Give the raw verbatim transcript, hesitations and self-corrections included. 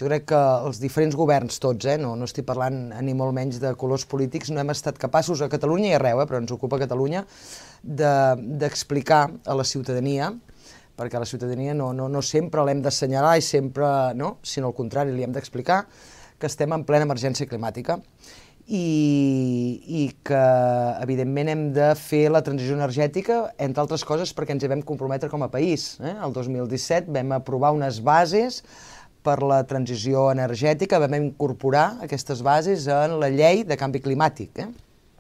jo crec que els diferents governs tots, eh, no, no estic parlant ni molt menys de colors polítics, no hem estat capaços a Catalunya i arreu, eh, però ens ocupa Catalunya, d'explicar de, a la ciutadania, perquè a la ciutadania no, no, no sempre l'hem d'assenyalar i sempre, no, sinó al contrari, li hem d'explicar que estem en plena emergència climàtica i, i que, evidentment, hem de fer la transició energètica, entre altres coses, perquè ens hi vam comprometre com a país. Eh? El dos mil disset vam aprovar unes bases per la transició energètica, vam incorporar aquestes bases en la llei de canvi climàtic. Eh?